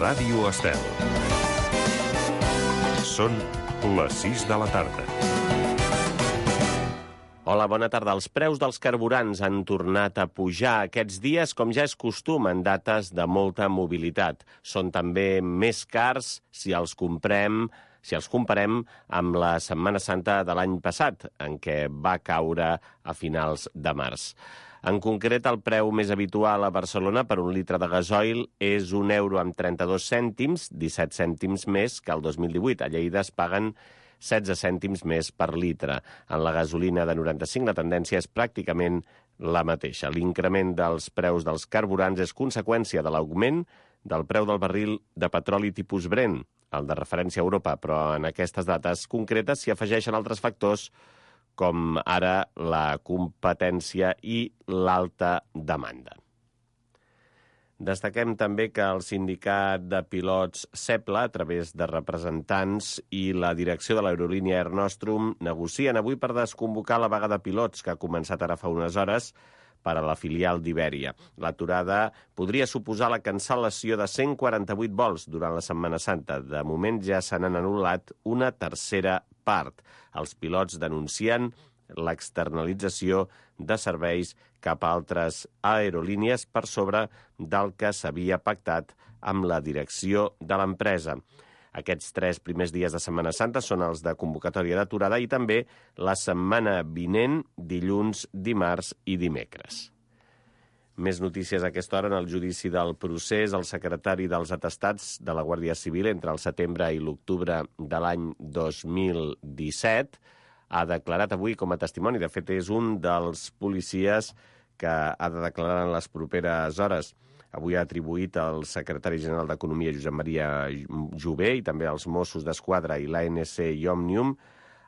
Ràdio Estel. Són les 6 de la tarda. Hola, bona tarda. Els preus dels carburants han tornat a pujar aquests dies, com ja és costum en dates de molta mobilitat. Són també més cars si els comparem amb la Setmana Santa de l'any passat, en què va caure a finals de març. En concret, el preu més habitual a Barcelona per un litre de gasoil és €1,32, 17 cèntims més que el 2018. A Lleida es paguen 16 cèntims més per litre. En la gasolina de 95 la tendència és pràcticament la mateixa. L'increment dels preus dels carburants és conseqüència de l'augment del preu del barril de petroli tipus Brent, el de referència a Europa, però en aquestes dates concretes s'hi afegeixen altres factors com ara la competència i l'alta demanda. Destaquem també que el sindicat de pilots SEPLA, a través de representants i la direcció de l'aerolínia Air Nostrum, negocien avui per desconvocar la vaga de pilots que ha començat ara fa unes hores per a la filial d'Ibèria. L'aturada podria suposar la cancel·lació de 148 vols durant la Setmana Santa. De moment ja se n'han anul·lat una tercera part. Els pilots denuncien l'externalització de serveis cap a altres aerolínies per sobre del que s'havia pactat amb la direcció de l'empresa. Aquests 3 primers dies de Setmana Santa són els de convocatòria d'aturada i també la setmana vinent, dilluns, dimarts i dimecres. Més notícies a aquesta hora. En el judici del procés, el secretari dels atestats de la Guàrdia Civil entre el setembre i l'octubre de l'any 2017 ha declarat avui com a testimoni. De fet, és un dels policies que ha de declarar en les properes hores. Avui ha atribuït al secretari general d'Economia, Josep Maria Jové, i també als Mossos d'Esquadra i l'ANC i Òmnium,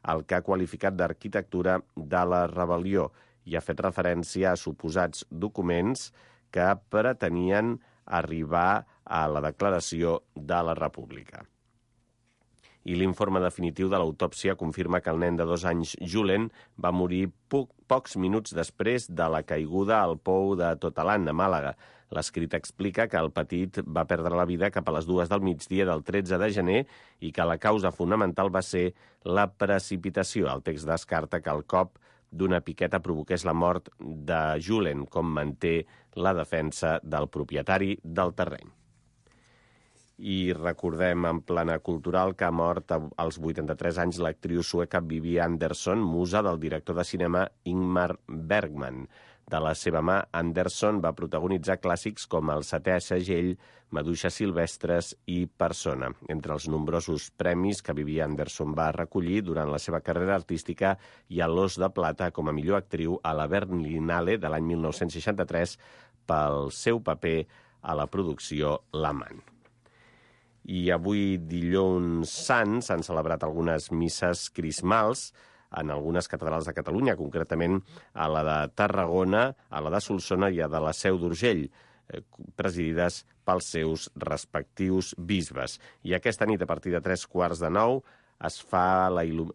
el que ha qualificat d'arquitectura de la rebel·lió i ha fet referència a suposats documents que pretenien arribar a la declaració de la República. I l'informe definitiu de l'autòpsia confirma que el nen de 2 anys, Julen, va morir pocs minuts després de la caiguda al pou de Totalan, a Màlaga. L'escrit explica que el petit va perdre la vida cap a les 2 del migdia del 13 de gener i que la causa fonamental va ser la precipitació. El text descarta que el cop d'una piqueta provoqués la mort de Julen, com manté la defensa del propietari del terreny. I recordem en plana cultural que ha mort als 83 anys l'actriu sueca Bibi Andersson, musa del director de cinema Ingmar Bergman. De la seva mà, Andersson va protagonitzar clàssics com El setè segell, Maduixes silvestres i Persona. Entre els nombrosos premis que Bibi Andersson va recollir durant la seva carrera artística hi ha l'Os de Plata com a millor actriu a la Berlinale de l'any 1963 pel seu paper a la producció L'amant. I avui, dilluns sant, s'han celebrat algunes misses crismals en algunes catedrals de Catalunya, concretament a la de Tarragona, a la de Solsona i a la de la Seu d'Urgell, presidides pels seus respectius bisbes. I aquesta nit, a partir de 9:15,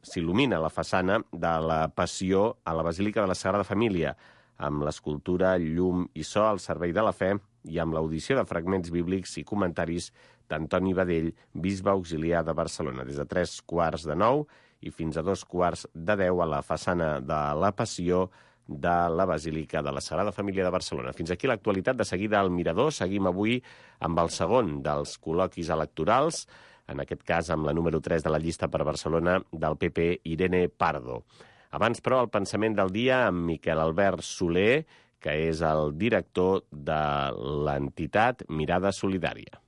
s'il·lumina la façana de la Passió a la Basílica de la Sagrada Família, amb l'escultura Llum i So al servei de la fe i amb l'audició de fragments bíblics i comentaris d'Antoni Badell, bisbe auxiliar de Barcelona, des de 9:15 i fins a 9:45 a la façana de la Passió de la Basílica de la Sagrada Família de Barcelona. Fins aquí l'actualitat. De seguida al Mirador. Seguim avui amb el segon dels col·loquis electorals, en aquest cas amb la número 3 de la llista per Barcelona del PP, Irene Pardo. Abans, però, el pensament del dia amb Miquel Albert Soler, que és el director de l'entitat Mirada Solidària.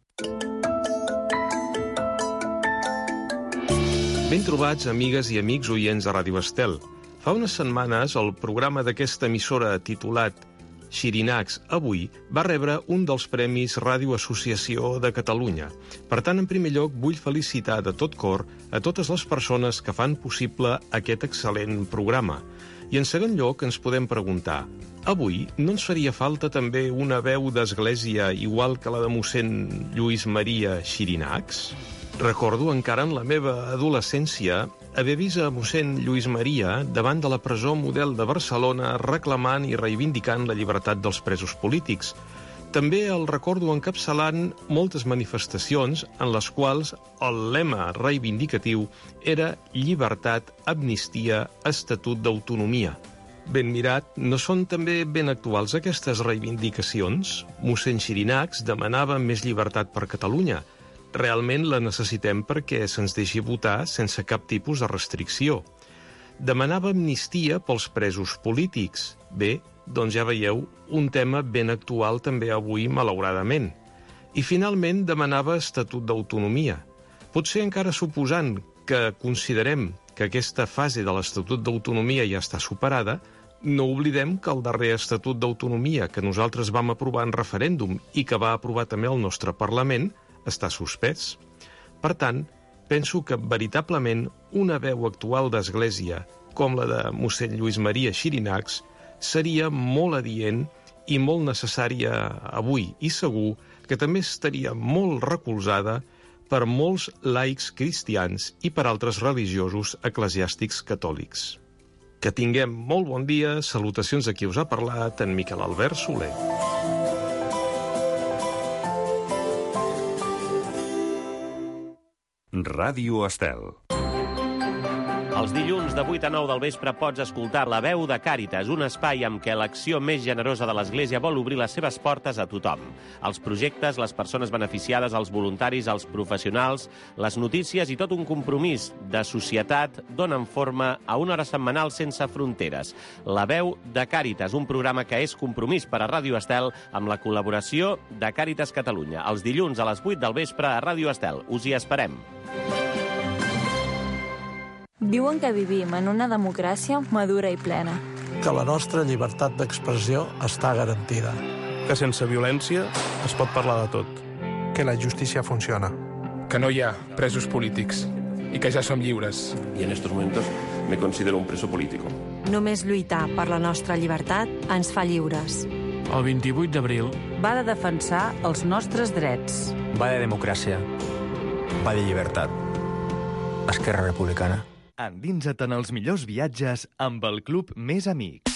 Ben trobats, amigues i amics oients de Ràdio Estel. Fa unes setmanes, el programa d'aquesta emissora titulat Xirinacs Avui va rebre un dels Premis Ràdio Associació de Catalunya. Per tant, en primer lloc, vull felicitar de tot cor a totes les persones que fan possible aquest excel·lent programa. I en segon lloc, ens podem preguntar, avui no ens faria falta també una veu d'església igual que la de mossèn Lluís Maria Xirinacs? Recordo encara en la meva adolescència haver vist a mossèn Lluís Maria davant de la presó Model de Barcelona reclamant i reivindicant la llibertat dels presos polítics. També el recordo encapçalant moltes manifestacions en les quals el lema reivindicatiu era llibertat, amnistia, estatut d'autonomia. Ben mirat, no són també ben actuals aquestes reivindicacions? Mossèn Xirinacs demanava més llibertat per Catalunya. Realment la necessitem perquè se'ns deixi votar sense cap tipus de restricció. Demanava amnistia pels presos polítics. Bé, doncs ja veieu, un tema ben actual també avui, malauradament. I finalment demanava estatut d'autonomia. Potser encara suposant que considerem que aquesta fase de l'estatut d'autonomia ja està superada, no oblidem que el darrer estatut d'autonomia que nosaltres vam aprovar en referèndum i que va aprovar també el nostre Parlament està suspès. Per tant, penso que veritablement una veu actual d'Església, com la de mossèn Lluís Maria Xirinacs, seria molt adient i molt necessària avui, i segur que també estaria molt recolzada per molts laics cristians i per altres religiosos eclesiàstics catòlics. Que tinguem molt bon dia. Salutacions a qui us ha parlat, en Miquel Albert Soler. Ràdio Estel. Els dilluns de 8 a 9 del vespre pots escoltar La veu de Càritas, un espai amb què l'acció més generosa de l'Església vol obrir les seves portes a tothom. Els projectes, les persones beneficiades, els voluntaris, els professionals, les notícies i tot un compromís de societat donen forma a una hora setmanal sense fronteres. La veu de Càritas, un programa que és compromís per a Ràdio Estel amb la col·laboració de Càritas Catalunya. Els dilluns a les 8 del vespre a Ràdio Estel. Us hi esperem. Diuen que vivim en una democràcia madura i plena. Que la nostra llibertat d'expressió està garantida. Que sense violència es pot parlar de tot. Que la justícia funciona. Que no hi ha presos polítics i que ja som lliures. Y en estos momentos me considero un preso político. Només lluitar per la nostra llibertat ens fa lliures. El 28 d'abril va de defensar els nostres drets. Va de democràcia. Va de llibertat. Esquerra Republicana. Endinsa't en els millors viatges amb el Club Més Amics.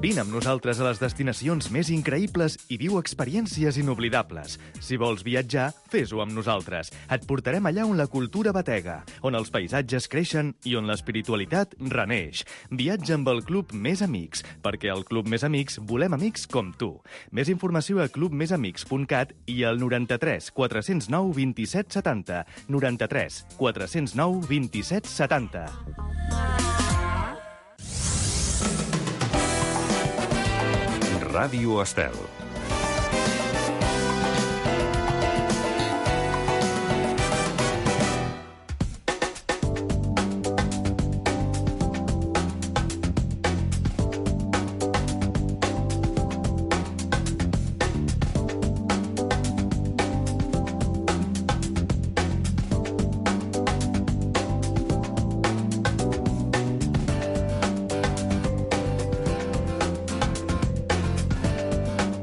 Vine amb nosaltres a les destinacions més increïbles i viu experiències inoblidables. Si vols viatjar, fes-ho amb nosaltres. Et portarem allà on la cultura batega, on els paisatges creixen i on l'espiritualitat reneix. Viatja amb el Club Més Amics, perquè al Club Més Amics volem amics com tu. Més informació a clubmesamics.cat i al 93 409 27 70. 93 409 27 70. Ràdio Estel.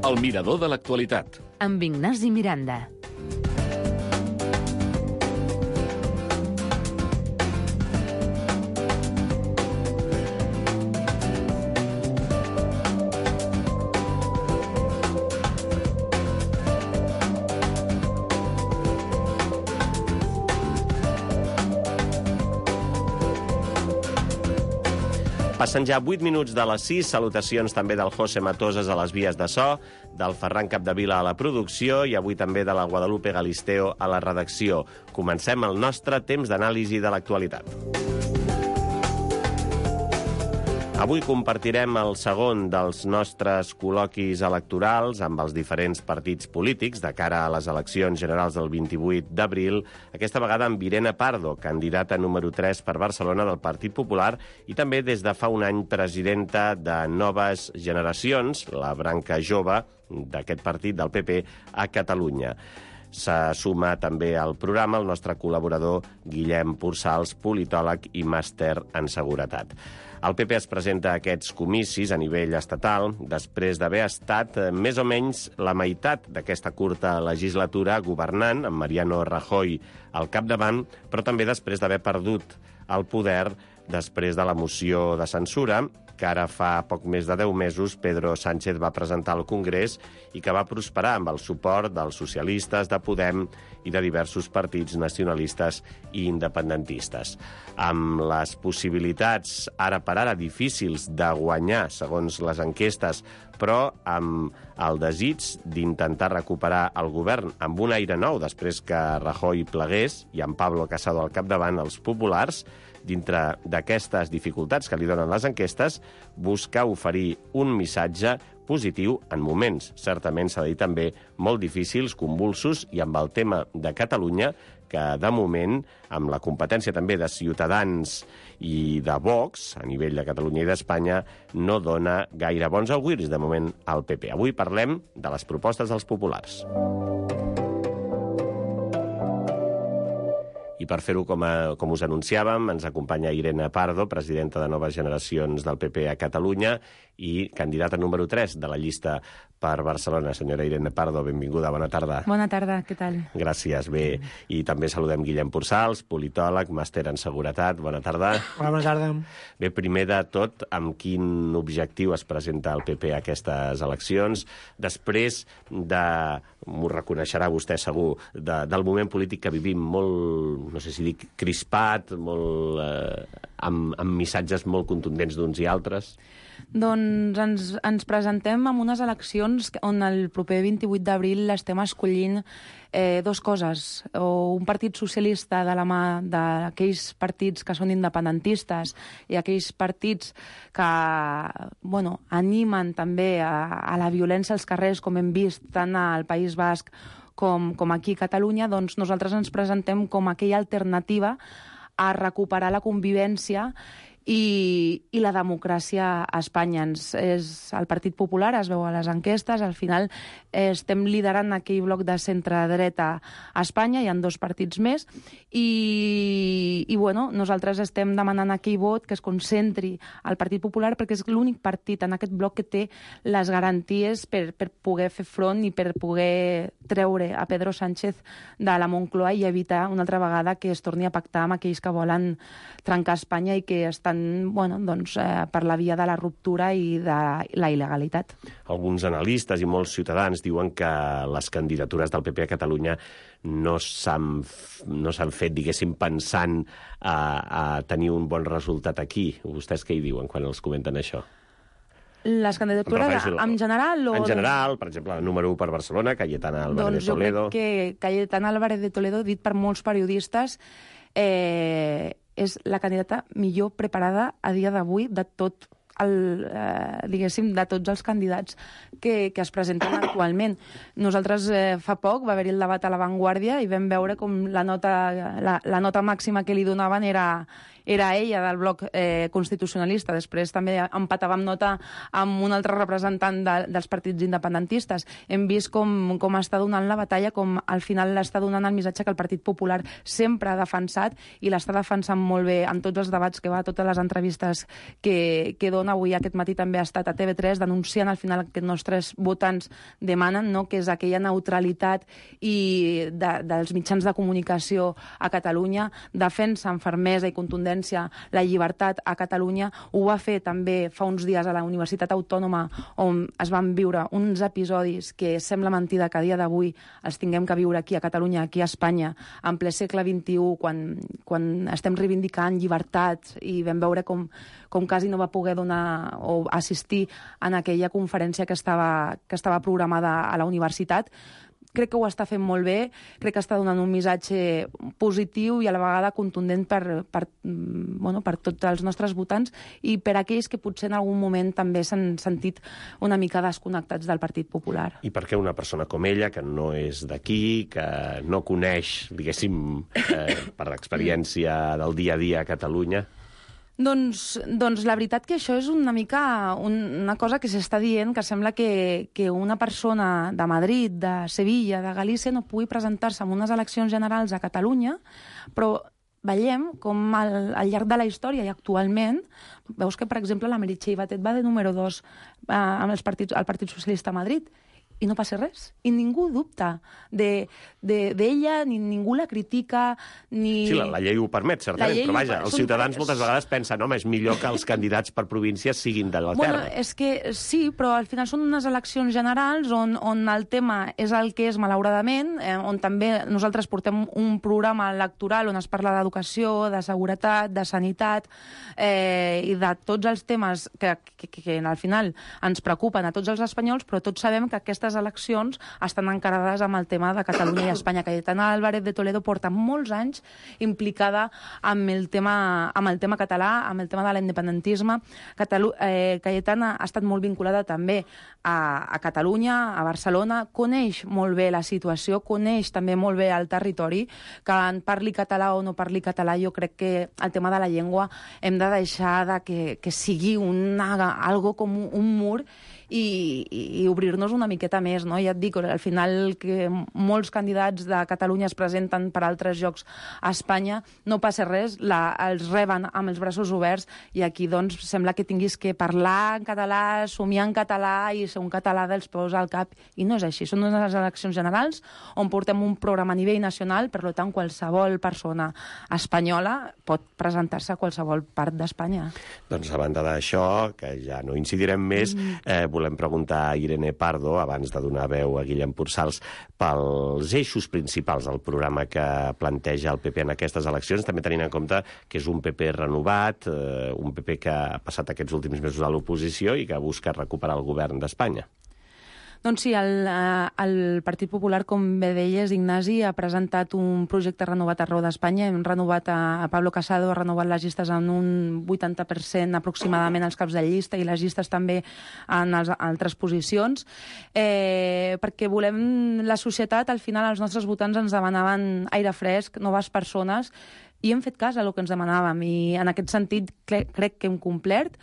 El mirador de l'actualitat. Amb Ignasi Miranda. Passen ja 8 minuts de les 6. Salutacions també del José Matoses a les vies de so, del Ferran Capdevila a la producció i avui també de la Guadalupe Galisteo a la redacció. Comencem el nostre temps d'anàlisi de l'actualitat. Avui compartirem el segon dels nostres col·loquis electorals amb els diferents partits polítics de cara a les eleccions generals del 28 d'abril, aquesta vegada amb Irene Pardo, candidata número 3 per Barcelona del Partit Popular i també des de fa un any presidenta de Noves Generacions, la branca jove d'aquest partit del PP a Catalunya. Se suma també al programa el nostre col·laborador Guillem Pursals, politòleg i màster en seguretat. El PP es presenta a aquests comicis a nivell estatal després d'haver estat més o menys la meitat d'aquesta curta legislatura governant, amb Mariano Rajoy al capdavant, però també després d'haver perdut el poder després de la moció de censura que ara fa poc més de 10 mesos Pedro Sánchez va presentar al Congrés i que va prosperar amb el suport dels socialistes, de Podem i de diversos partits nacionalistes i independentistes. Amb les possibilitats ara per ara difícils de guanyar, segons les enquestes, però amb el desig d'intentar recuperar el govern amb un aire nou després que Rajoy plegués i amb Pablo Casado al capdavant, els populars, dintre d'aquestes dificultats que li donen les enquestes, busca oferir un missatge positiu en moments, certament s'ha de dir també, molt difícils, convulsos, i amb el tema de Catalunya, que de moment, amb la competència també de Ciutadans i de Vox, a nivell de Catalunya i d'Espanya, no dona gaire bons auguris, de moment, al PP. Avui parlem de les propostes dels populars. I per fer-ho com us anunciàvem, ens acompanya Irene Pardo, presidenta de Noves Generacions del PP a Catalunya i candidata número 3 de la llista per Barcelona. Senyora Irene Pardo, benvinguda, bona tarda. Bona tarda, què tal? Gràcies, bé. I també saludem Guillem Pursals, politòleg, màster en seguretat, bona tarda. Bona tarda. Bé, primer de tot, amb quin objectiu es presenta el PP a aquestes eleccions? Després de, m'ho reconeixerà vostè segur, del moment polític que vivim molt, no sé si dic, crispat, molt, amb missatges molt contundents d'uns i altres? Doncs ens presentem amb unes eleccions on el proper 28 d'abril estem escollint dues coses. O un partit socialista de la mà d'aquells partits que són independentistes i aquells partits que animen també a la violència als carrers, com hem vist tant al País Basc com aquí a Catalunya. Doncs nosaltres ens presentem com aquella alternativa a recuperar la convivència i la democràcia a Espanya. El Partit Popular es veu a les enquestes, al final estem liderant aquell bloc de centre-dreta a Espanya, hi ha dos partits més, i nosaltres estem demanant aquell vot que es concentri al Partit Popular perquè és l'únic partit en aquest bloc que té les garanties per poder fer front i per poder treure a Pedro Sánchez de la Moncloa i evitar una altra vegada que es torni a pactar amb aquells que volen trencar Espanya i que estan per la via de la ruptura i de la il·legalitat. Alguns analistes i molts ciutadans diuen que les candidatures del PP a Catalunya no s'han fet, diguéssim, pensant a tenir un bon resultat aquí. Vostès què hi diuen quan els comenten això? Les candidatures en general? En general, per exemple, el número 1 per Barcelona, Cayetana Álvarez de Toledo. Jo crec que Cayetana Álvarez de Toledo, dit per molts periodistes, és la candidata millor preparada a dia d'avui de tot de tots els candidats que es presenten actualment. Nosaltres fa poc va haver-hi el debat a La Vanguardia i vam veure com la nota màxima que li donaven era ella, del bloc constitucionalista. Després també empatàvem nota amb un altre representant dels partits independentistes. Hem vist com està donant la batalla, com al final l'està donant el missatge que el Partit Popular sempre ha defensat i l'està defensant molt bé en tots els debats que va, totes les entrevistes que dona. Avui aquest matí també ha estat a TV3 denunciant al final que els nostres votants demanen, que és aquella neutralitat i dels mitjans de comunicació a Catalunya, defensa amb fermesa i contundència la llibertat a Catalunya. Ho va fer també fa uns dies a la Universitat Autònoma, on es van viure uns episodis que sembla mentida que a dia d'avui els tinguem que viure aquí a Catalunya, aquí a Espanya, en ple segle XXI, quan estem reivindicant llibertat, i vam veure com quasi no va poder donar o assistir en aquella conferència que estava programada a la universitat. Crec que ho està fent molt bé, crec que està donant un missatge positiu i a la vegada contundent per tots els nostres votants i per aquells que potser en algun moment també s'han sentit una mica desconnectats del Partit Popular. I per què una persona com ella, que no és d'aquí, que no coneix, diguéssim, per l'experiència del dia a dia a Catalunya? Doncs la veritat que això és una mica una cosa que s'està dient, que sembla que una persona de Madrid, de Sevilla, de Galícia no pugui presentar-se en unes eleccions generals a Catalunya, però veiem com al llarg de la història i actualment veus que, per exemple, la Meritxell Batet va de número 2 amb el Partit Socialista a Madrid i no passa res. I ningú dubta d'ella, ni ningú la critica, ni... Sí, la llei ho permet, certament, però vaja, els ciutadans moltes vegades pensen, home, és millor que els candidats per províncies siguin de la terra. Bueno, és que sí, però al final són unes eleccions generals on el tema és el que és, malauradament, on també nosaltres portem un programa electoral on es parla d'educació, de seguretat, de sanitat, i de tots els temes que al final ens preocupen a tots els espanyols, però tots sabem que aquestes eleccions estan encarades amb el tema de Catalunya i Espanya. Cayetana Álvarez de Toledo porta molts anys implicada amb el tema català, amb el tema de l'independentisme. Cayetana ha estat molt vinculada també a Catalunya, a Barcelona, coneix molt bé la situació, coneix també molt bé el territori, que en parli català o no parli català, jo crec que el tema de la llengua hem de deixar que sigui algo com un mur i obrir-nos una miqueta més, no? Ja et dic, al final que molts candidats de Catalunya es presenten per altres llocs a Espanya, no passa res, els reben amb els braços oberts i aquí doncs sembla que tinguis que parlar en català, somiar en català i ser un català dels peus al cap, i no és així. Són unes eleccions generals on portem un programa a nivell nacional, per tant qualsevol persona espanyola pot presentar-se a qualsevol part d'Espanya. Doncs a banda d'això, que ja no incidirem més, volem preguntar a Irene Pardo, abans de donar veu a Guillem Pursals, pels eixos principals del programa que planteja el PP en aquestes eleccions, també tenint en compte que és un PP renovat, un PP que ha passat aquests últims mesos a l'oposició i que busca recuperar el govern d'Espanya. Doncs sí, el Partit Popular, com bé deies, Ignasi, ha presentat un projecte renovat arreu d'Espanya. Hem renovat a Pablo Casado, ha renovat les llistes en un 80% aproximadament als caps de llista i les llistes també en altres posicions, perquè volem la societat, al final els nostres votants ens demanaven aire fresc, noves persones, i hem fet cas a el que ens demanàvem, i en aquest sentit crec que hem complert.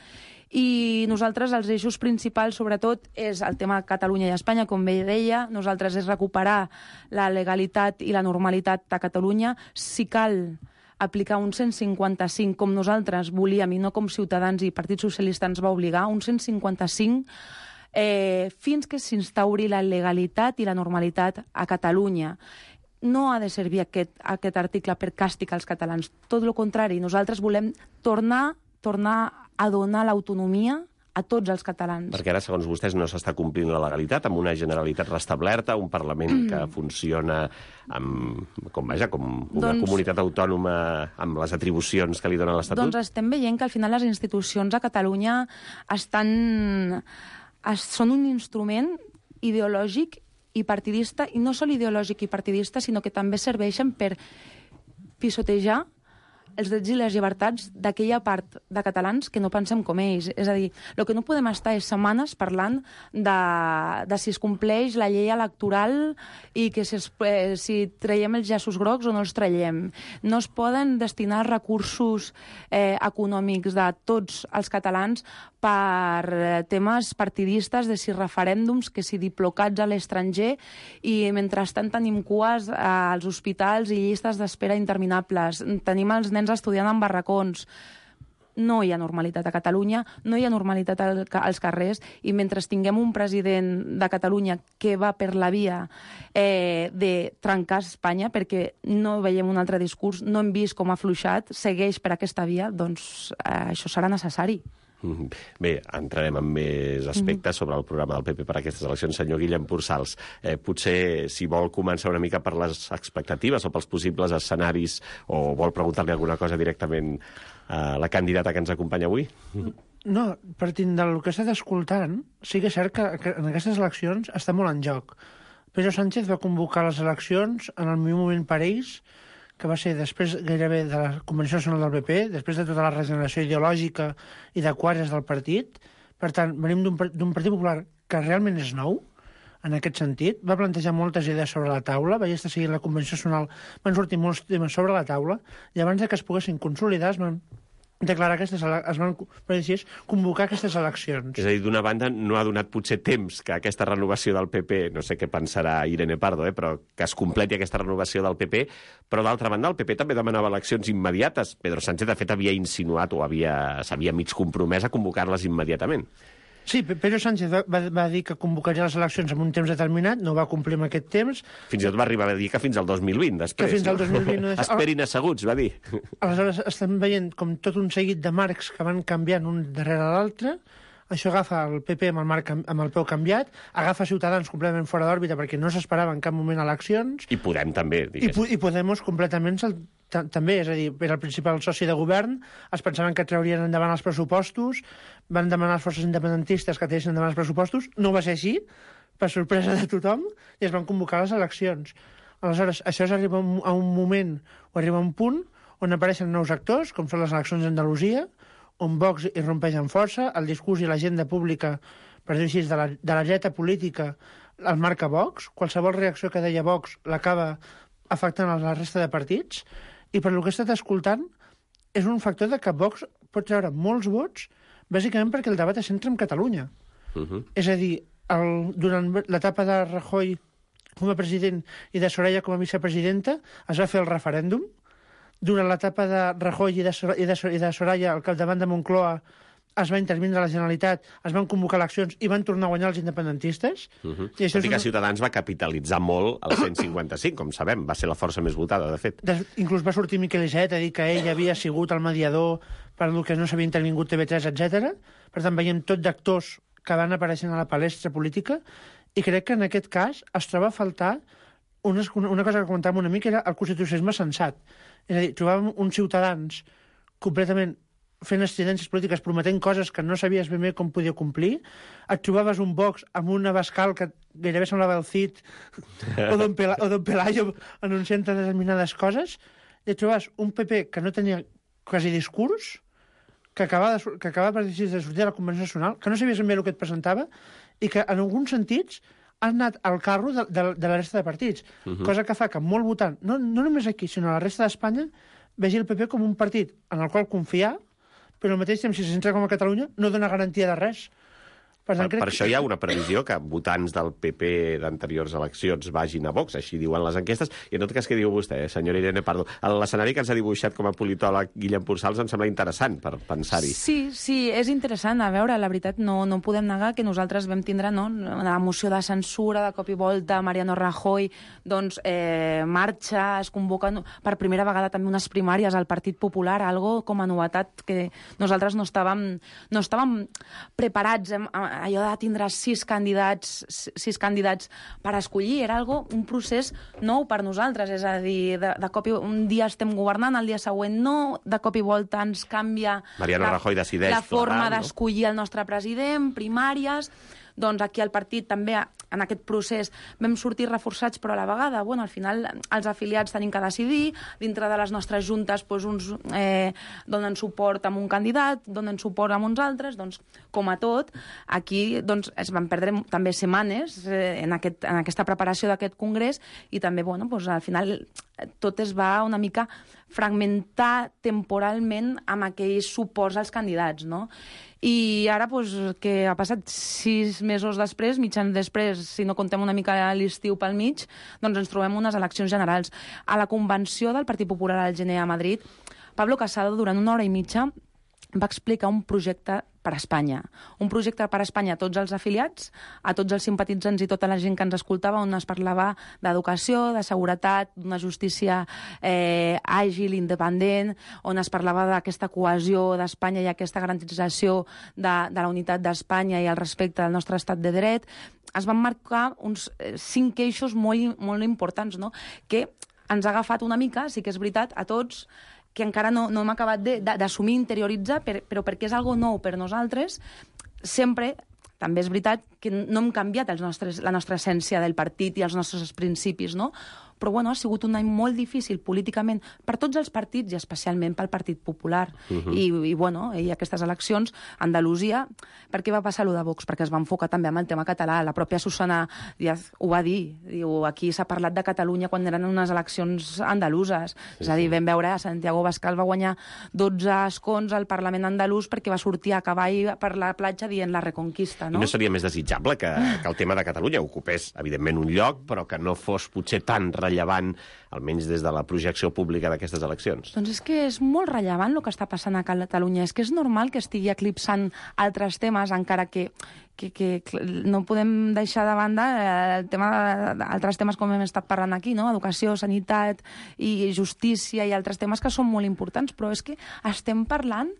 I nosaltres els eixos principals, sobretot, és el tema Catalunya i Espanya, com bé deia. Nosaltres és recuperar la legalitat i la normalitat a Catalunya. Si cal aplicar un 155 com nosaltres volíem i no com Ciutadans i Partit Socialista ens va obligar, un 155 fins que s'instauri la legalitat i la normalitat a Catalunya. No ha de servir aquest article per càstig als catalans. Tot el contrari, nosaltres volem tornar a donar l'autonomia a tots els catalans. Perquè ara, segons vostès, no s'està complint la legalitat, amb una Generalitat restablerta, un Parlament que funciona com una comunitat autònoma amb les atribucions que li dona l'Estatut? Doncs estem veient que al final les institucions a Catalunya són un instrument ideològic i partidista, i no sol ideològic i partidista, sinó que també serveixen per pisotejar els drets i les llibertats d'aquella part de catalans que no pensem com ells. És a dir, el que no podem estar és setmanes parlant de si es compleix la llei electoral i que si traiem els llaços grocs o no els traiem. No es poden destinar recursos econòmics de tots els catalans per temes partidistes, de si referèndums, que si diplocats a l'estranger, i mentrestant tenim cues als hospitals i llistes d'espera interminables. Tenim els nens estudiant en barracons. No hi ha normalitat a Catalunya, no hi ha normalitat als carrers, i mentre tinguem un president de Catalunya que va per la via de trencar Espanya, perquè no veiem un altre discurs, no hem vist com ha afluixat, segueix per aquesta via, doncs això serà necessari. Bé, entrarem en més aspectes sobre el programa del PP per a aquestes eleccions. Senyor Guillem Pursals, potser si vol començar una mica per les expectatives o pels possibles escenaris, o vol preguntar-li alguna cosa directament a la candidata que ens acompanya avui? No, partint del que he estat escoltant, sí que és cert que en aquestes eleccions està molt en joc. Pedro Sánchez va convocar les eleccions en el millor moment per ells, que va ser després gairebé de la Convenció Nacional del PP, després de tota la regeneració ideològica i de quadres del partit. Per tant, venim d'un Partit Popular que realment és nou, en aquest sentit. Va plantejar moltes idees sobre la taula, vaig estar seguint la Convenció Nacional, van sortir molts temes sobre la taula, i abans que es poguessin consolidar es van declarar convocar aquestes eleccions. És a dir, d'una banda, no ha donat potser temps que aquesta renovació del PP, no sé què pensarà Irene Pardo, però que es completi aquesta renovació del PP, però d'altra banda el PP també demanava eleccions immediates. Pedro Sánchez, de fet, havia insinuat o s'havia mig compromès a convocar-les immediatament. Sí, Pedro Sánchez va dir que convocaria les eleccions en un temps determinat, no va complir amb aquest temps. Fins i tot va arribar a dir que fins al 2020, després. Que fins al 2020 no Esperin asseguts, va dir. Aleshores estem veient com tot un seguit de marcs que van canviant un darrere l'altre. Això agafa el PP amb el peu canviat, agafa Ciutadans completament fora d'òrbita perquè no s'esperava en cap moment eleccions. I Podem també, diguéssim. I Podemos completament també, és a dir, era el principal soci de govern, es pensaven que traurien endavant els pressupostos, van demanar les forces independentistes que tinguessin endavant els pressupostos, no va ser així, per sorpresa de tothom, i es van convocar les eleccions. Aleshores, això arriba a un moment, o arriba a un punt, on apareixen nous actors, com són les eleccions d'Andalusia, on Vox irrompeix amb força, el discurs i l'agenda pública, per dir-ho així, de la dreta política, el marca Vox, qualsevol reacció que deia Vox l'acaba afectant a la resta de partits, i per lo que he estat escoltant, és un factor de que Vox pot treure molts vots, bàsicament perquè el debat es centra en Catalunya. És a dir, durant l'etapa de Rajoy com a president i de Soraya com a vicepresidenta, es va fer el referèndum. Durant l'etapa de Rajoy i de Soraya al capdavant de Moncloa es va intervindre la Generalitat, es van convocar eleccions i van tornar a guanyar els independentistes. Tot i que Ciutadans va capitalitzar molt el 155, com sabem, va ser la força més votada, de fet. Inclús va sortir Miquel Iceta a dir que ell havia sigut el mediador per el que no s'havia intervingut TV3, etc. Per tant, veiem tot d'actors que van apareixent a la palestra política i crec que en aquest cas es troba a faltar una cosa que comentàvem una mica, era el constitucionalisme sensat. És a dir, trobàvem uns Ciutadans completament fent estridències polítiques, prometent coses que no sabies ben bé com podia complir. Et trobaves un Vox amb una Bascal que gairebé semblava el Cid o Don Pelayo anunciant determinades coses. I et trobaves un PP que no tenia quasi discurs, que acabava per dir de sortir de la Convenció Nacional, que no sabies ben bé el que et presentava i que en alguns sentits ha anat al carro de la resta de partits, cosa que fa que molt votant, no només aquí, sinó a la resta d'Espanya, vegi el PP com un partit en el qual confiar, però al mateix temps, si se centra com a Catalunya, no dona garantia de res. Per això hi ha una previsió que votants del PP d'anteriors eleccions vagin a Vox, així diuen les enquestes, i en tot cas, què diu vostè, senyora Irene Pardo? L'escenari que ens ha dibuixat com a politòleg Guillem Purçals em sembla interessant per pensar-hi. Sí, és interessant. A veure, la veritat, no podem negar que nosaltres vam tindre la moció de censura, de cop i volta, Mariano Rajoy, doncs marxa, es convoca per primera vegada també unes primàries al Partit Popular, algo com a novetat que nosaltres no estàvem preparats allò de tindre 6 candidats per escollir, era un procés nou per nosaltres, és a dir, de cop i un dia estem governant, el dia següent no, de cop i volta ens canvia la forma d'escollir el nostre president, primàries. Doncs aquí al partit també, en aquest procés, vam sortir reforçats, però a la vegada, al final, els afiliats tenim que decidir, dintre de les nostres juntes, uns donen suport a un candidat, donen suport a uns altres, doncs, com a tot, aquí es van perdre també setmanes en aquesta preparació d'aquest congrés, i també, al final, tot es va una mica fragmentar temporalment amb aquells suports als candidats, no? I ara, que ha passat 6 mesos després, mig any després, si no contem una mica l'estiu pel mig, doncs ens trobem unes eleccions generals. A la convenció del Partit Popular al gener a Madrid, Pablo Casado, durant 1 hora i mitja, va explicar un projecte per a Espanya. Un projecte per a Espanya a tots els afiliats, a tots els simpatitzants i tota la gent que ens escoltava, on es parlava d'educació, de seguretat, d'una justícia àgil, independent, on es parlava d'aquesta cohesió d'Espanya i aquesta garantització de la unitat d'Espanya i el respecte del nostre estat de dret. Es van marcar uns 5 eixos molt importants, no?, que ens ha agafat una mica, sí que és veritat, a tots, que encara no hem acabat d'assumir, interioritzar, però perquè és algo nou per nosaltres, sempre, també és veritat, que no hem canviat la nostra essència del partit i els nostres principis, no? Però, ha sigut un any molt difícil políticament per tots els partits i especialment pel Partit Popular. I aquestes eleccions, Andalusia, per què va passar allò de Vox? Perquè es va enfocar també amb el tema català. La pròpia Susana Díaz ho va dir. Diu, aquí s'ha parlat de Catalunya quan eren unes eleccions andaluses. És a dir, vam veure, Santiago Bascal va guanyar 12 escons al Parlament andalús perquè va sortir a cavall per la platja dient la Reconquista, no? I no seria més desitjable que el tema de Catalunya ocupés, evidentment, un lloc, però que no fos potser tan rellevant, almenys des de la projecció pública d'aquestes eleccions? Doncs és que és molt rellevant el que està passant a Catalunya. És que és normal que estigui eclipsant altres temes, encara que no podem deixar de banda el tema d'altres temes com hem estat parlant aquí, no? Educació, sanitat i justícia i altres temes que són molt importants, però és que estem parlant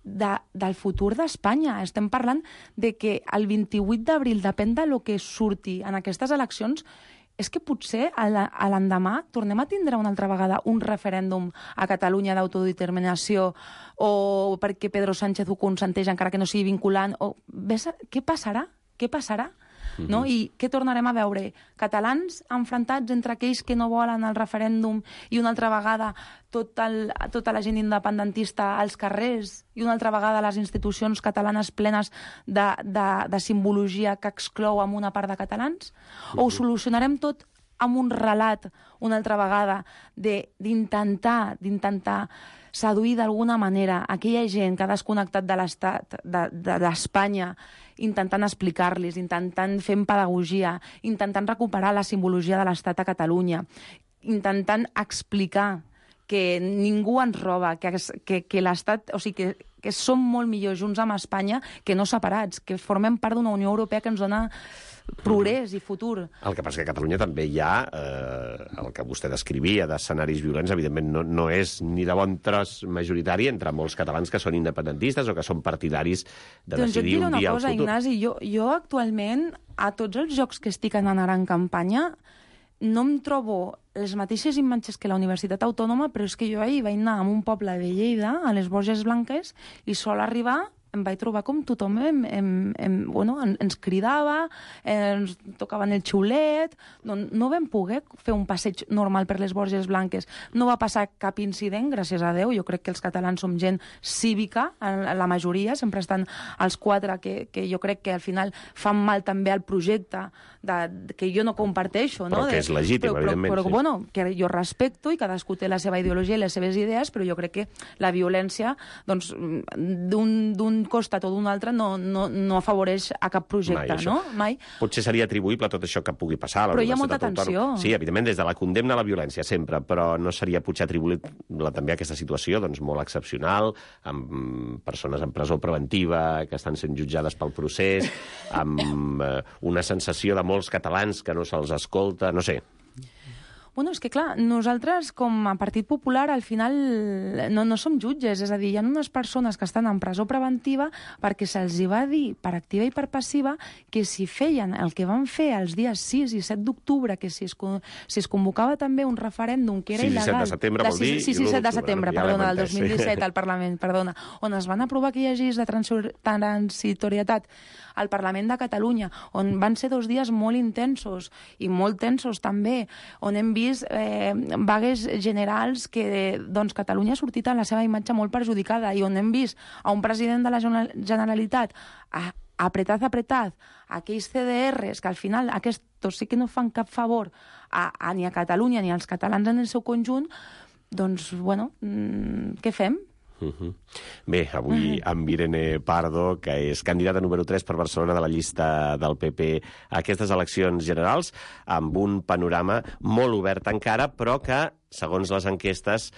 del futur d'Espanya. Estem parlant de que el 28 d'abril, depèn de lo que surti en aquestes eleccions, és que potser a l'endemà tornem a tindre una altra vegada un referèndum a Catalunya d'autodeterminació o perquè Pedro Sánchez ho consenteix encara que no sigui vinculant. Què passarà? Què passarà? No? I què tornarem a veure? Catalans enfrontats entre aquells que no volen el referèndum i una altra vegada tota la gent independentista als carrers i una altra vegada les institucions catalanes plenes de simbologia que exclou amb una part de catalans? O ho solucionarem tot amb un relat una altra vegada d'intentar seduir d'alguna manera aquella gent que ha desconnectat de l'Estat, d'Espanya, intentant explicar-los, intentant fer pedagogia, intentant recuperar la simbologia de l'Estat a Catalunya, intentant explicar que ningú ens roba, que l'Estat, o sigui, que som molt millor junts amb Espanya que no separats, que formem part d'una Unió Europea que ens dona progrés i futur. El que passa que a Catalunya també hi ha el que vostè descrivia d'escenaris violents, evidentment no és ni de bon tros majoritari entre molts catalans que són independentistes o que són partidaris de decidir un dia el futur. Doncs jo et diré una cosa, Ignasi, jo actualment, a tots els jocs que estic anant ara en campanya, no em trobo les mateixes imatges que la Universitat Autònoma, però és que jo ahir vaig anar a un poble de Lleida, a les Borges Blanques, i sol arribar em vaig trobar com tothom ens cridava, ens tocaven el xiulet, no vam poder fer un passeig normal per les Borges Blanques. No va passar cap incident, gràcies a Déu. Jo crec que els catalans som gent cívica, la majoria, sempre estan els quatre, que jo crec que al final fan mal també al projecte, que jo no comparteixo. Però que és legítim, evidentment. Però bueno, que jo respecto i cadascú té la seva ideologia i les seves idees, però jo crec que la violència, doncs, d'un costat o d'un altre no afavoreix a cap projecte, no? Mai. Potser seria atribuïble a tot això que pugui passar. Però hi ha molta tensió. Sí, evidentment, des de la condemna a la violència, sempre, però no seria potser atribuïble també a aquesta situació doncs, molt excepcional, amb persones en presó preventiva que estan sent jutjades pel procés, amb una sensació de molts catalans que no se'ls escolta, no sé. Bueno, és que clar, nosaltres com a Partit Popular al final no som jutges, és a dir, hi ha unes persones que estan en presó preventiva perquè se'ls va dir per activa i per passiva que si feien el que van fer els dies 6 i 7 d'octubre, que si es convocava també un referèndum que era il·legal... 6 i 7 de setembre vol dir... 6 i 7 de setembre, perdona, del 2017 al Parlament, perdona, on es van aprovar aquelles lleis de transitorietat al Parlament de Catalunya, on van ser 2 dies molt intensos i molt tensos també, on hem vist vagues generals que doncs, Catalunya ha sortit en la seva imatge molt perjudicada i on hem vist a un president de la Generalitat apretat aquells CDRs que al final aquests sí que no fan cap favor ni a Catalunya ni als catalans en el seu conjunt, doncs, bueno, què fem? Bé, avui amb Irene Pardo, que és candidata número 3 per Barcelona de la llista del PP a aquestes eleccions generals, amb un panorama molt obert encara, però que, segons les enquestes,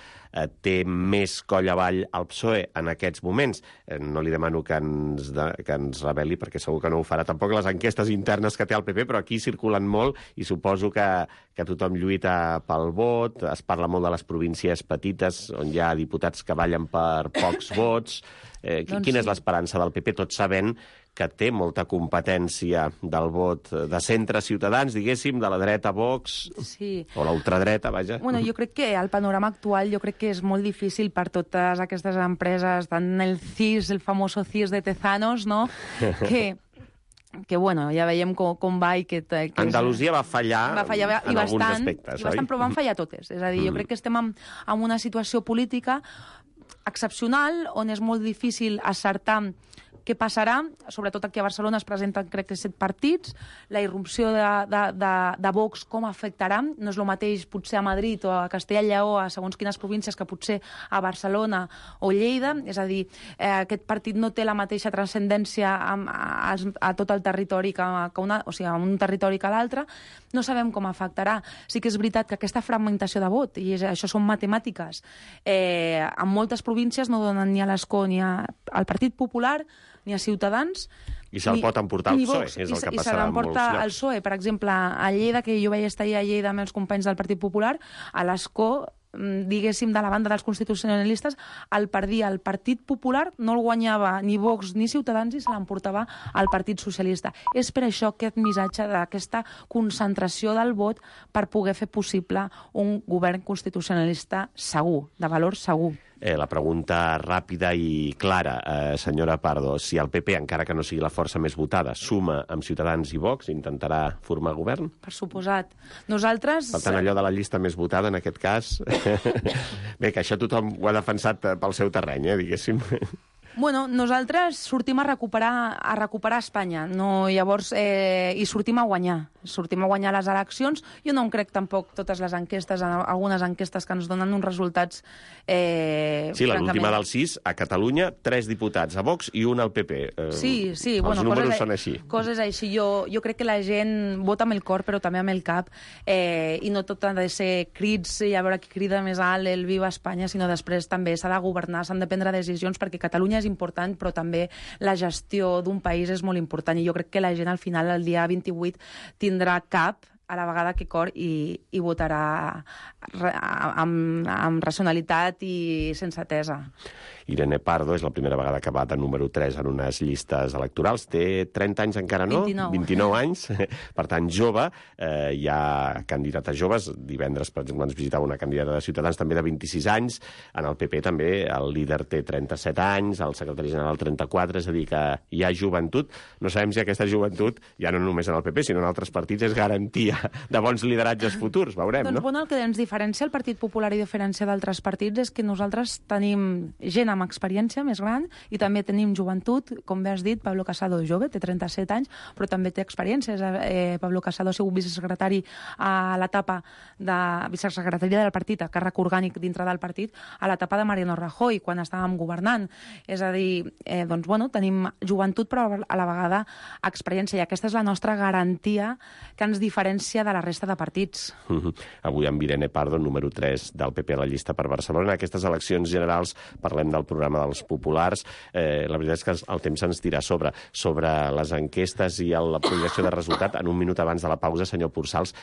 té més coll avall al PSOE en aquests moments. No li demano que ens reveli, perquè segur que no ho farà tampoc les enquestes internes que té el PP, però aquí circulen molt i suposo que tothom lluita pel vot. Es parla molt de les províncies petites, on hi ha diputats que ballen per pocs vots. Quina és l'esperança del PP, tot sabent que té molta competència del vot de centre ciutadans, diguéssim, de la dreta Vox, sí, o la ultradreta, vaja. Bueno, jo crec que el panorama actual jo crec que és molt difícil per totes aquestes empreses, tant el CIS, el famoso CIS de Tezanos, no?, que bueno, ja veiem com va i que Andalusia va fallar en alguns aspectes, oi? Però van fallar totes. És a dir, jo crec que estem en una situació política excepcional on és molt difícil acertar Què passarà? Sobretot aquí a Barcelona es presenten, crec que 7 partits. La irrupció de Vox com afectarà? No és el mateix potser a Madrid o a Castella i Lleó, a segons quines províncies, que potser a Barcelona o Lleida. És a dir, aquest partit no té la mateixa transcendència a tot el territori a un territori que a l'altre. No sabem com afectarà. Sí que és veritat que aquesta fragmentació de vot, i això són matemàtiques, en moltes províncies no donen ni a l'Escó ni al Partit Popular ni a Ciutadans. I se'l pot emportar el PSOE, és el que passarà en molts llocs. El PSOE, per exemple, a Lleida, que jo vaig estar ahir a Lleida amb els companys del Partit Popular, a l'Escó, diguéssim, de la banda dels constitucionalistes, el Partit Popular no el guanyava ni Vox ni Ciutadans i se l'emportava al Partit Socialista. És per això aquest missatge d'aquesta concentració del vot per poder fer possible un govern constitucionalista segur, de valor segur. La pregunta ràpida i clara, senyora Pardo, si el PP, encara que no sigui la força més votada, suma amb Ciutadans i Vox, intentarà formar govern? Per suposat. Nosaltres... Per tant, allò de la llista més votada, en aquest cas... Bé, que això tothom ho ha defensat pel seu terreny, diguéssim. Bueno, nosaltres sortim a recuperar Espanya, llavors, i sortim a guanyar les eleccions. Jo no em crec tampoc totes les enquestes, algunes enquestes que ens donen uns resultats... Sí, l'última del 6, a Catalunya, 3 diputats a Vox i un al PP. Sí, els números són així. Coses així. Jo crec que la gent vota amb el cor, però també amb el cap, i no tot ha de ser crits i a veure qui crida més alt el Viva Espanya, sinó després també s'ha de governar, s'han de prendre decisions, perquè Catalunya és important, però també la gestió d'un país és molt important, i jo crec que la gent al final, el dia 28, tindrà cap a la vegada que cor i votarà amb racionalitat i sensatesa. Irene Pardo és la primera vegada que va de número 3 en unes llistes electorals. Té 30 anys encara, no? 29 anys. Per tant, jove. Hi ha candidates joves. Divendres, per exemple, ens visitava una candidata de Ciutadans també de 26 anys. En el PP també el líder té 37 anys, el secretari general 34, és a dir, que hi ha joventut. No sabem si aquesta joventut, ja no només en el PP, sinó en altres partits, és garantia de bons lideratges futurs. Veurem, no? Doncs bueno, el que ens diferencia el Partit Popular i diferència d'altres partits és que nosaltres tenim gent amb experiència més gran i també tenim joventut, com bé has dit, Pablo Casado jove, té 37 anys, però també té experiències. Pablo Casado ha sigut vicesecretari a l'etapa de vicesecretaria del partit, a càrrec orgànic dintre del partit, a l'etapa de Mariano Rajoy, quan estàvem governant. És a dir, doncs, bueno, tenim joventut, però a la vegada experiència, i aquesta és la nostra garantia que ens diferencia de la resta de partits. Avui amb Irene Pardo, número 3 del PP a la llista per Barcelona. En aquestes eleccions generals parlem del programa dels populars. La veritat és que el temps ens tira sobre les enquestes i la projecció de resultat. En un minut abans de la pausa, senyor Pursals,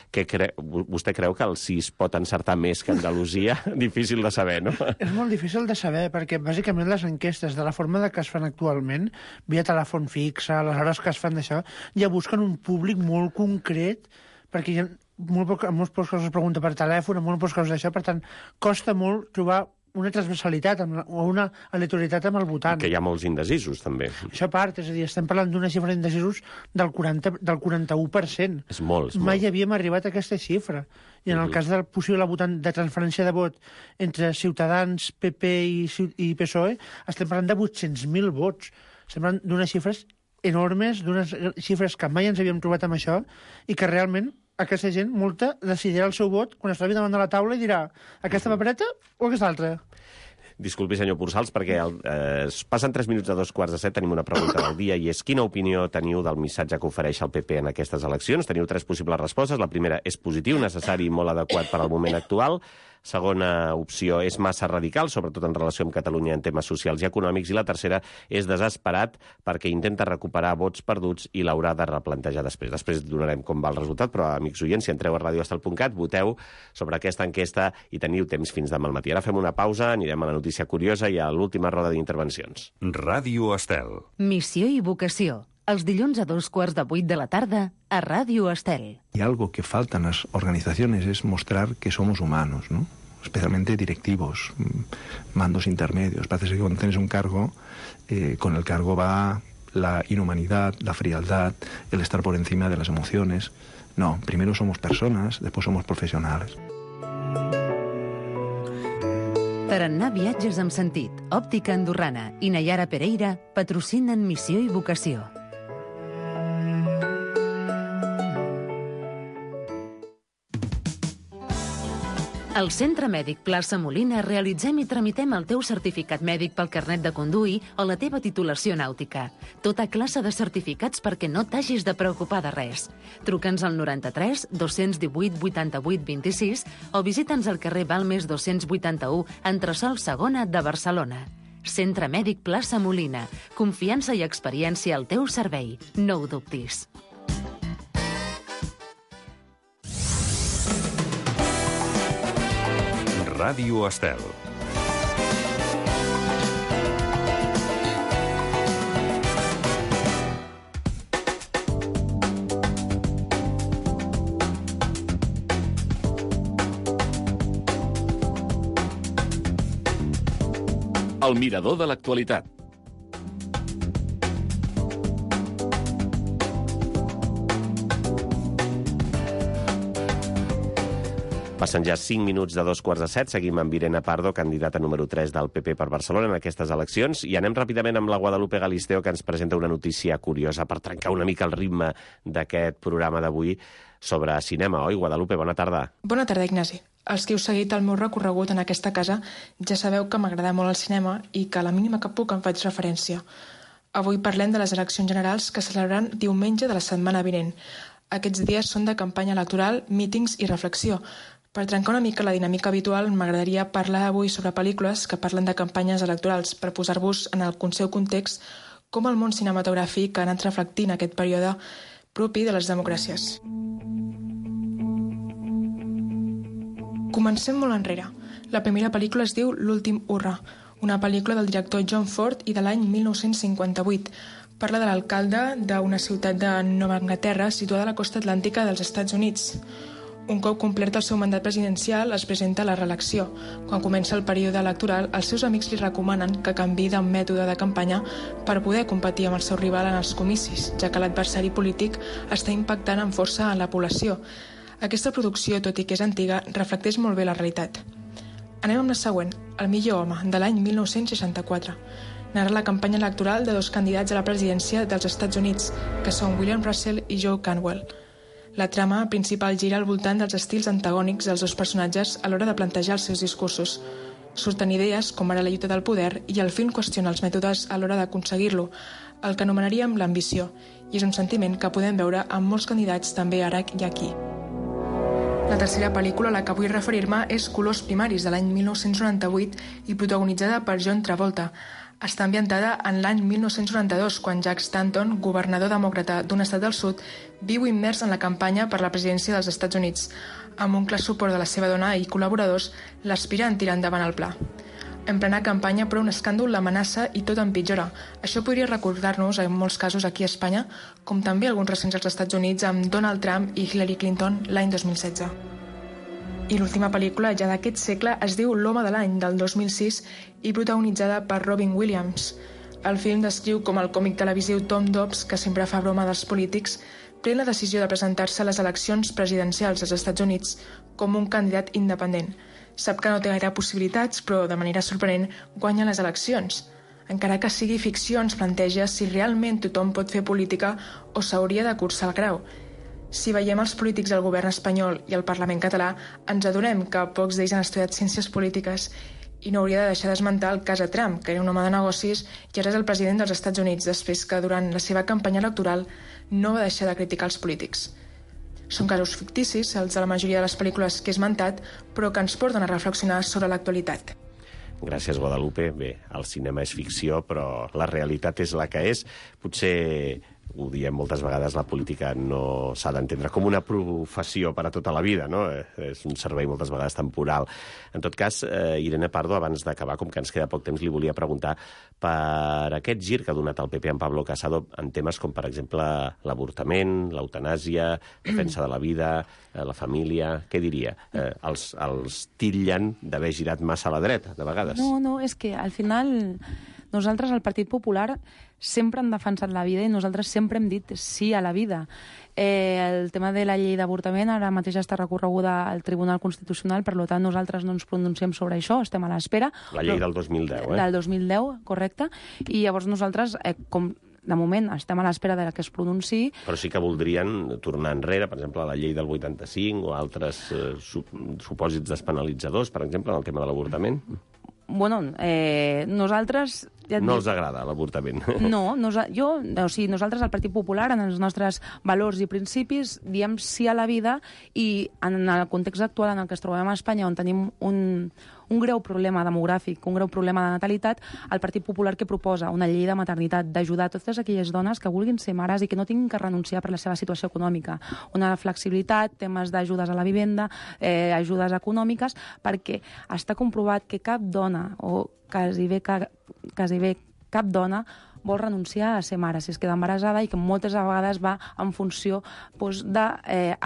vostè creu que el sí es pot encertar més que Andalusia? Difícil de saber, no? És molt difícil de saber, perquè bàsicament les enquestes, de la forma que es fan actualment, via telèfon fixe, les hores que es fan d'això, ja busquen un públic molt concret, perquè hi ha molts pocs casos es pregunta per telèfon, molt pocs casos d'això, per tant, costa molt trobar una transversalitat o una aleatorietat amb el votant. I que hi ha molts indecisos, també. Això a part, és a dir, estem parlant d'una xifra d'indecisos del 41%. És molt. Mai havíem arribat a aquesta xifra. I en el cas del possible votant de transferència de vot entre Ciutadans, PP i PSOE, estem parlant de 800.000 vots. Estem parlant d'unes xifres enormes, d'unes xifres que mai ens havíem trobat amb això, i que realment aquesta gent, molta, decidirà el seu vot quan es trobi davant de la taula i dirà aquesta papereta o aquesta altra. Disculpi, senyor Pursals, perquè passen 3 minuts de 2:15, tenim una pregunta del dia, i és: quina opinió teniu del missatge que ofereix el PP en aquestes eleccions? Teniu 3 possibles respostes. La primera és positiu, necessari i molt adequat per al moment actual. Segona opció és massa radical, sobretot en relació amb Catalunya en temes socials i econòmics. I la tercera és desesperat perquè intenta recuperar vots perduts i l'haurà de replantejar després. Després donarem com va el resultat, però, amics oients, si entreu a radioestel.cat, voteu sobre aquesta enquesta i teniu temps fins demà al matí. Ara fem una pausa, anirem a la notícia curiosa i a l'última roda d'intervencions. Ràdio Estel. Missió i vocació. Els dilluns a 7:15 de la tarda a Ràdio Estel. Y algo que falta en las organizaciones es mostrar que somos humanos, ¿no? Especialmente directivos, mandos intermedios. Parece que cuando tienes un cargo, con el cargo va la inhumanidad, la frialdad, el estar por encima de las emociones. No, primero somos personas, después somos profesionales. Tarannà Viatges amb Sentit, Òptica Andorrana i Nayara Pereira patrocinen Missió i Vocació. Al Centre Mèdic Plaça Molina realitzem i tramitem el teu certificat mèdic pel carnet de conduir o la teva titulació nàutica. Tota classe de certificats perquè no t'hagis de preocupar de res. Truca'ns al 93 218 88 26 o visita'ns al carrer Balmes 281, entresòl Segona de Barcelona. Centre Mèdic Plaça Molina. Confiança i experiència al teu servei. No ho dubtis. Ràdio Estel. El mirador de l'actualitat. Passen ja 5 minuts de 2:45. Seguim amb Irene Pardo, candidata número 3 del PP per Barcelona en aquestes eleccions. I anem ràpidament amb la Guadalupe Galisteo, que ens presenta una notícia curiosa per trencar una mica el ritme d'aquest programa d'avui sobre cinema. Oi, Guadalupe? Bona tarda. Bona tarda, Ignasi. Els que heu seguit el meu recorregut en aquesta casa ja sabeu que m'agrada molt el cinema i que a la mínima que puc en faig referència. Avui parlem de les eleccions generals que se celebraran diumenge de la setmana vinent. Aquests dies són de campanya electoral, mítings i reflexió. Per trencar una mica la dinàmica habitual, m'agradaria parlar avui sobre pel·lícules que parlen de campanyes electorals per posar-vos en el seu context com el món cinematogràfic ha anat reflectint aquest període propi de les democràcies. Comencem molt enrere. La primera pel·lícula es diu L'últim hurra, una pel·lícula del director John Ford i de l'any 1958. Parla de l'alcalde d'una ciutat de Nova Anglaterra situada a la costa atlàntica dels Estats Units. Un cop complert el seu mandat presidencial, es presenta a la reelecció. Quan comença el període electoral, els seus amics li recomanen que canviï de mètode de campanya per poder competir amb el seu rival en els comicis, ja que l'adversari polític està impactant amb força en la població. Aquesta producció, tot i que és antiga, reflecteix molt bé la realitat. Anem amb la següent, El millor home, de l'any 1964. Narra la campanya electoral de dos candidats a la presidència dels Estats Units, que són William Russell i Joe Cantwell. La trama principal gira al voltant dels estils antagònics dels dos personatges a l'hora de plantejar els seus discursos. Surten idees com ara la lluita del poder i el film qüestiona els mètodes a l'hora d'aconseguir-lo, el que anomenaríem l'ambició, i és un sentiment que podem veure amb molts candidats també ara i aquí. La tercera pel·lícula a la que vull referir-me és Colors primaris, de l'any 1998 i protagonitzada per John Travolta. Està ambientada en l'any 1992, quan Jack Stanton, governador demòcrata d'un estat del sud, viu immers en la campanya per la presidència dels Estats Units. Amb un clar suport de la seva dona i col·laboradors, l'aspira a tirar endavant el pla. En plena campanya, però, un escàndol l'amenaça i tot empitjora. Això podria recordar-nos, en molts casos aquí a Espanya, com també alguns recents als Estats Units amb Donald Trump i Hillary Clinton l'any 2016. I l'última pel·lícula, ja d'aquest segle, es diu L'home de l'any, del 2006, i protagonitzada per Robin Williams. El film descriu com el còmic televisiu Tom Dobbs, que sempre fa broma dels polítics, pren la decisió de presentar-se a les eleccions presidencials als Estats Units com un candidat independent. Sap que no té gaire possibilitats, però de manera sorprenent guanya les eleccions. Encara que sigui ficció, ens planteja si realment tothom pot fer política o s'hauria de cursar el grau. Si veiem els polítics del govern espanyol i el Parlament català, ens adonem que pocs d'ells han estudiat ciències polítiques i no hauria de deixar d'esmentar el cas de Trump, que era un home de negocis i ara és el president dels Estats Units, després que durant la seva campanya electoral no va deixar de criticar els polítics. Són casos ficticis, els de la majoria de les pel·lícules que he esmentat, però que ens porten a reflexionar sobre l'actualitat. Gràcies, Guadalupe. Bé, el cinema és ficció, però la realitat és la que és. Potser ho diem moltes vegades, la política no s'ha d'entendre com una professió per a tota la vida, no? És un servei moltes vegades temporal. En tot cas, Irene Pardo, abans d'acabar, com que ens queda poc temps, li volia preguntar per aquest gir que ha donat el PP en Pablo Casado en temes com, per exemple, l'avortament, l'eutanàsia, defensa de la vida, la família... Què diria? Els titllen d'haver girat massa a la dreta, de vegades. No, és que al final Nosaltres, al Partit Popular, sempre hem defensat la vida i nosaltres sempre hem dit sí a la vida. El tema de la llei d'avortament ara mateix està recorreguda al Tribunal Constitucional, per tant, nosaltres no ens pronunciem sobre això, estem a l'espera. La llei del 2010, eh? Del 2010, correcte. I llavors nosaltres, com de moment estem a l'espera de que es pronunciï. Però sí que voldrien tornar enrere, per exemple, a la llei del 85 o altres supòsits despenalitzadors, per exemple, en el tema de l'avortament. Bueno, nosaltres... No els agrada l'avortament. No, nosaltres, al Partit Popular, en els nostres valors i principis, diem sí a la vida i en el context actual en el que ens trobem a Espanya, on tenim un greu problema demogràfic, un greu problema de natalitat, el Partit Popular que proposa una llei de maternitat, d'ajudar totes aquelles dones que vulguin ser mares i que no tinguin que renunciar per la seva situació econòmica. Una flexibilitat, temes d'ajudes a la vivenda, ajudes econòmiques, perquè està comprovat que cap dona, o quasi bé cap dona, vol renunciar a ser mare si es queda embarassada i que moltes vegades va en funció de